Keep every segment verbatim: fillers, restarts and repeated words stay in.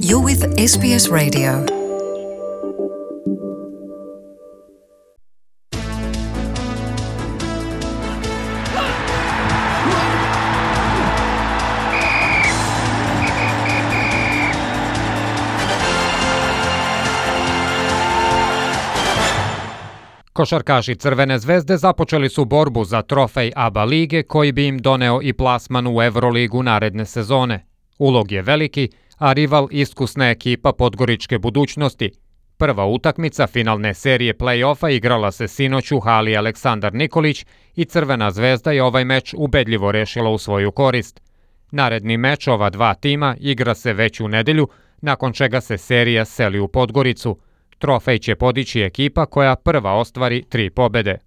You're with S B S Radio. Košarkaši Crvene zvezde započeli su borbu za trofej A B A lige koji bi im doneo i plasman u Evroligu naredne sezone. Ulog je veliki, a rival iskusna ekipa Podgoričke budućnosti. Prva utakmica finalne serije play-offa igrala se sinoć u hali Aleksandar Nikolić i Crvena zvezda je ovaj meč ubedljivo rešila u svoju korist. Naredni meč ova dva tima igra se već u nedelju, nakon čega se serija seli u Podgoricu. Trofej će podići ekipa koja prva ostvari tri pobede.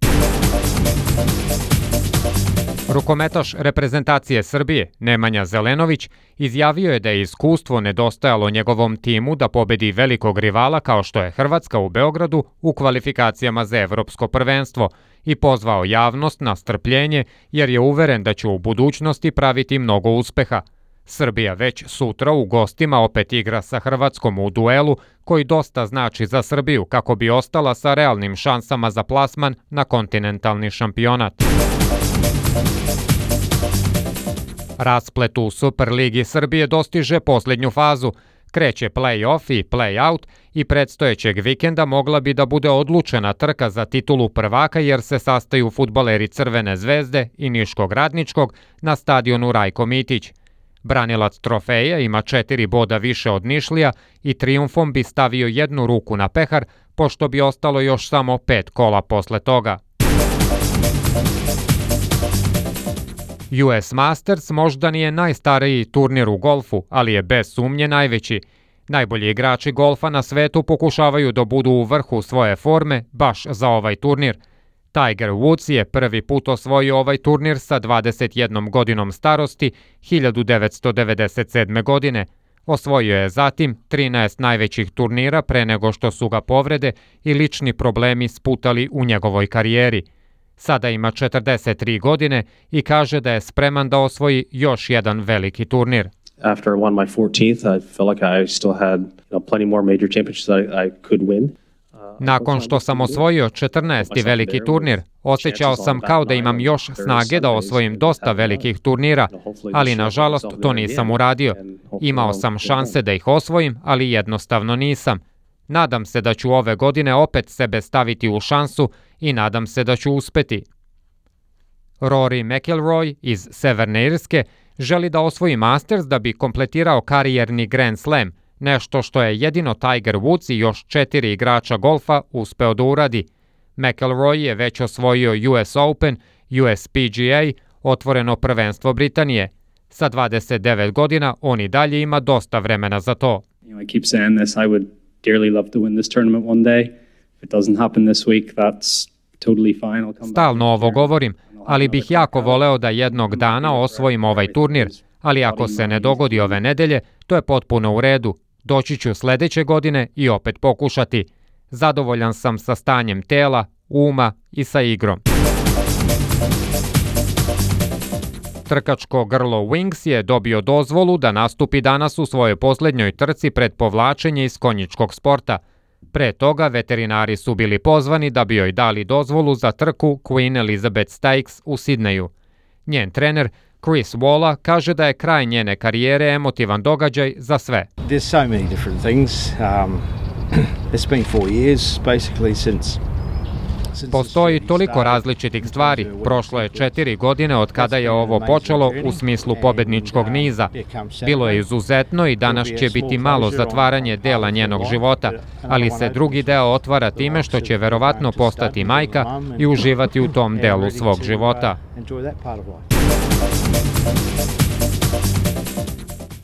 Rukometaš reprezentacije Srbije, Nemanja Zelenović, izjavio je da je iskustvo nedostajalo njegovom timu da pobedi velikog rivala kao što je Hrvatska u Beogradu u kvalifikacijama za evropsko prvenstvo i pozvao javnost na strpljenje jer je uveren da će u budućnosti praviti mnogo uspeha. Srbija već sutra u gostima opet igra sa Hrvatskom u duelu koji dosta znači za Srbiju kako bi ostala sa realnim šansama za plasman na kontinentalni šampionat. Rasplet u Superligi Srbije dostiže posljednju fazu. Kreće play-off i play-out i predstojećeg vikenda mogla bi da bude odlučena trka za titulu prvaka jer se sastaju fudbaleri Crvene zvezde i Niškog Radničkog na stadionu Rajko Mitić. Branilac trofeja ima četiri boda više od Nišlija i trijumfom bi stavio jednu ruku na pehar, pošto bi ostalo još samo pet kola posle toga. U S Masters možda nije najstariji turnir u golfu, ali je bez sumnje najveći. Najbolji igrači golfa na svetu pokušavaju da budu u vrhu svoje forme baš za ovaj turnir. Tiger Woods je prvi put osvojio ovaj turnir sa dvadeset jednom godinom starosti hiljadu devetsto devedeset sedme. godine. Osvojio je zatim trinaest najvećih turnira pre nego što su ga povrede i lični problemi sputali u njegovoj karijeri. Sada ima četrdeset tri godine i kaže da je spreman da osvoji još jedan veliki turnir. After I won my fourteenth, I felt like I still had, you know, plenty more major championships that I, I could win. Nakon što sam osvojio četrnaesti veliki turnir, osjećao sam kao da imam još snage da osvojim dosta velikih turnira, ali nažalost to nisam uradio. Imao sam šanse da ih osvojim, ali jednostavno nisam. Nadam se da ću ove godine opet sebe staviti u šansu i nadam se da ću uspeti. Rory McIlroy iz Severne Irske želi da osvoji Masters da bi kompletirao karijerni Grand Slam, nešto što je jedino Tiger Woods i još četiri igrača golfa uspeo da uradi. McIlroy je već osvojio U S Open, U S P G A, otvoreno prvenstvo Britanije. Sa dvadeset devet godina on i dalje ima dosta vremena za to. I keep saying this, I would dearly love to win this tournament one day. If it doesn't happen this week, that's totally fine. I'll come Stalno ovo govorim, ali bih jako voleo da jednog dana osvojim ovaj turnir, ali ako se ne dogodi ove nedelje, to je potpuno u redu. Doći ću sledeće godine i opet pokušati. Zadovoljan sam sa stanjem tela, uma i sa igrom. Trkačko grlo Wings je dobio dozvolu da nastupi danas u svojoj posljednjoj trci pred povlačenje iz konjičkog sporta. Pre toga veterinari su bili pozvani da bi joj dali dozvolu za trku Queen Elizabeth Stakes u Sidneju. Njen trener Chris Walla kaže da je kraj njene karijere emotivan događaj za sve. There's so many different things. Um, it's been four years basically since Postoji toliko različitih stvari. Prošlo je četiri godine od kada je ovo počelo u smislu pobedničkog niza. Bilo je izuzetno i danas će biti malo zatvaranje dela njenog života, ali se drugi deo otvara time što će verovatno postati majka i uživati u tom delu svog života.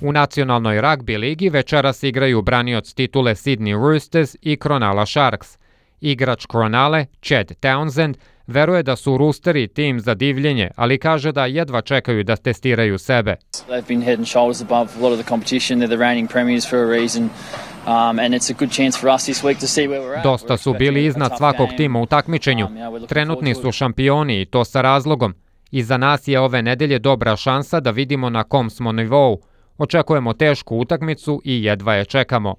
U nacionalnoj ragbi ligi večeras igraju branioc titule Sydney Roosters i Cronulla Sharks. Igrač Cronulle, Chad Townsend, veruje da su Roosteri tim za divljenje, ali kaže da jedva čekaju da testiraju sebe. They've been head and shoulders above a lot of the competition. They're the reigning premiers for a reason. Um, and it's a good chance for us this week to see where we're at. Dosta su bili iznad svakog tima u takmičenju. Trenutni su šampioni i to sa razlogom. I za nas je ove nedelje dobra šansa da vidimo na kom smo nivou. Očekujemo tešku utakmicu i jedva je čekamo.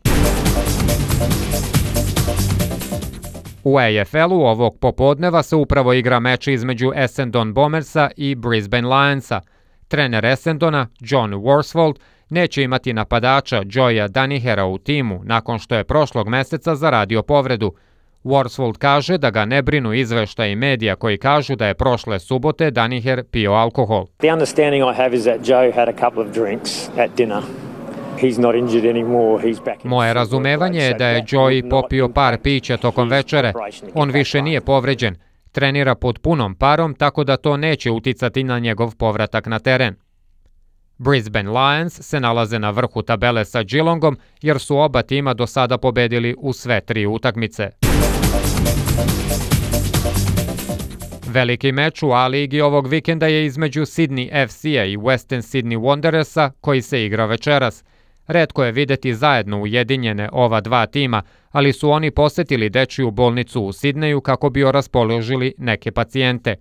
U A F L-u ovog popodneva se upravo igra meč između Essendon Bombersa i Brisbane Lionsa. Trener Essendona, John Worsfold, neće imati napadača Joya Danihera u timu nakon što je prošlog meseca zaradio povredu. Worsfold kaže da ga ne brinu izveštaji medija koji kažu da je prošle subote Daniher pio alkohol. The understanding I have is that Joe had a couple of drinks at dinner. He's not injured anymore. He's back in. Moje razumevanje je da je Joey popio par pića tokom večere. On više nije povređen. Trenira pod punom parom, tako da to neće uticati na njegov povratak na teren. Brisbane Lions se nalaze na vrhu tabele sa Geelongom jer su oba tima do sada pobedili u sve tri utakmice. Veliki meč u A-ligi ovog vikenda je između Sydney F C-a i Western Sydney Wanderersa koji se igra večeras. Retko je videti zajedno ujedinjene ova dva tima, ali su oni posetili dečiju bolnicu u Sidneju kako bi raspoložili neke pacijente.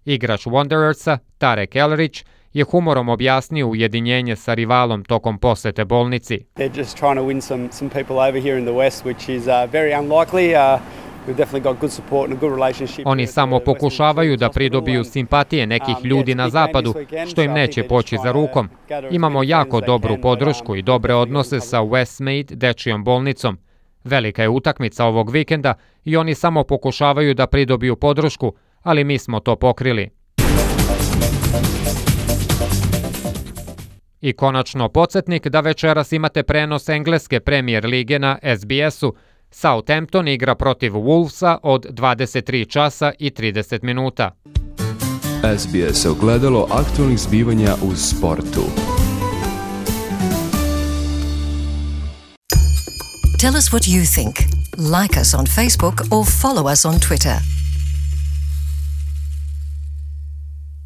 Igrač Wanderersa, Tarek Elrich, je humorom objasnio ujedinjenje sa rivalom tokom posete bolnici. They're just trying to win some some people over here in the West, which is uh, very unlikely. Uh, we've definitely got good support and a good relationship. Oni samo pokušavaju da pridobiju simpatije nekih ljudi na zapadu, što im neće poći za rukom. Imamo jako dobru podršku i dobre odnose sa Westmead dečijom bolnicom. Velika je utakmica ovog vikenda i oni samo pokušavaju da pridobiju podršku, ali mi smo to pokrili. I konačno podsjetnik da večeras imate prenos engleske Premier lige na S B S-u. Southampton igra protiv Wolvesa od dvadeset tri časa i trideset minuta. S B S ogledalo aktualnih zbivanja u sportu. Tell us what you think. Like us on Facebook or follow us on Twitter.